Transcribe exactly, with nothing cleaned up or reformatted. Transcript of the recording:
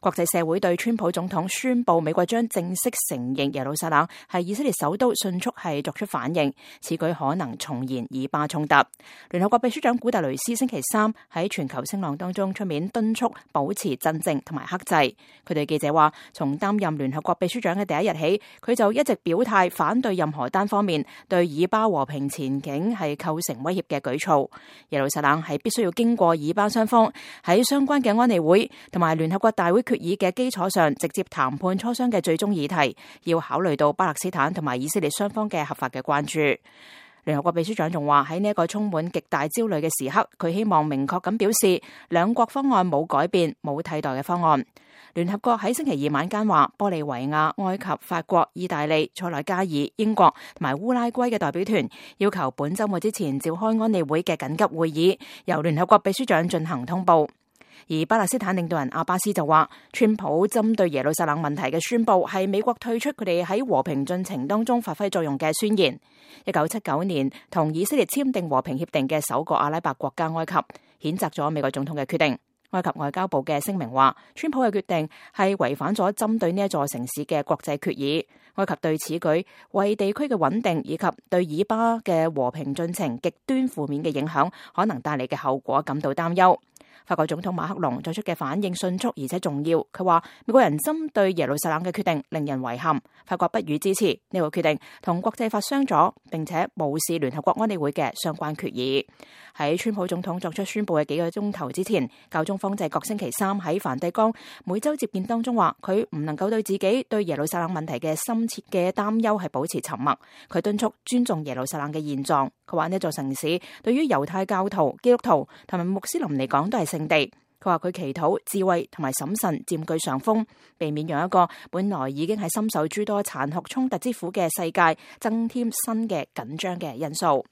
國際社會對川普總統宣布美國將正式承認耶路撒冷係以色列首都迅速係作出反應，此舉可能重燃以巴衝突。聯合國秘書長古特雷斯星期三喺全球聲浪當中出面敦促保持鎮靜同埋克制。佢對記者話，從擔任聯合國秘書長嘅第一日起，佢就一直表態反對任何單方面對以巴和平前景係構成威脅嘅舉措。耶路撒冷係必須要經過以巴雙方喺相關嘅安理會同埋聯合國大會決議嘅基礎上直接談判磋商嘅最終議題，要考慮到巴勒斯坦同埋以色列雙方嘅合法嘅關注。聯合國秘書長仲話，喺呢一個充滿極大焦慮嘅時刻，佢希望明確咁表示兩國方案冇改變，冇替代嘅方案。聯合國喺星期二晚間話，玻利維亞、埃及、法國、意大利、塞內加爾、英國同埋烏拉圭嘅代表團要求本週末之前召開安理會嘅緊急會議，由聯合國秘書長進行通報。而巴勒斯坦領導人阿巴斯就話，川普針對耶路撒冷問題嘅宣佈係美國退出佢哋喺和平進程當中發揮作用嘅宣言。一九七九年同以色列簽訂和平協定嘅首個阿拉伯國家埃及譴責咗美國總統嘅決定。埃及外交部嘅聲明話，川普嘅決定係違反咗針對呢一座城市嘅國際決議。埃及對此舉為地區嘅穩定以及對以巴嘅和平進程極端負面嘅影響可能帶嚟嘅後果感到擔憂。法國總統馬克龍作出嘅反應迅速而且重要，佢話美國人針對耶路撒冷嘅決定令人遺憾，法國不予支持呢個決定，同國際法相左，並且無視聯合國安理會嘅相關決議。喺川普總統作出宣布嘅幾個鐘頭之前，教宗方濟各星期三喺梵蒂岡每週接見當中話，佢唔能夠對自己對耶路撒冷問題嘅深切嘅擔憂係保持沉默，佢敦促尊重耶路撒冷嘅現狀。佢話呢座城市對於猶太教徒、基督徒同埋穆斯林嚟講都係聖地。佢話佢祈禱智慧同埋審慎佔據上風，避免讓一個本來已經係深受諸多殘酷衝突之苦嘅世界增添新嘅緊張嘅因素。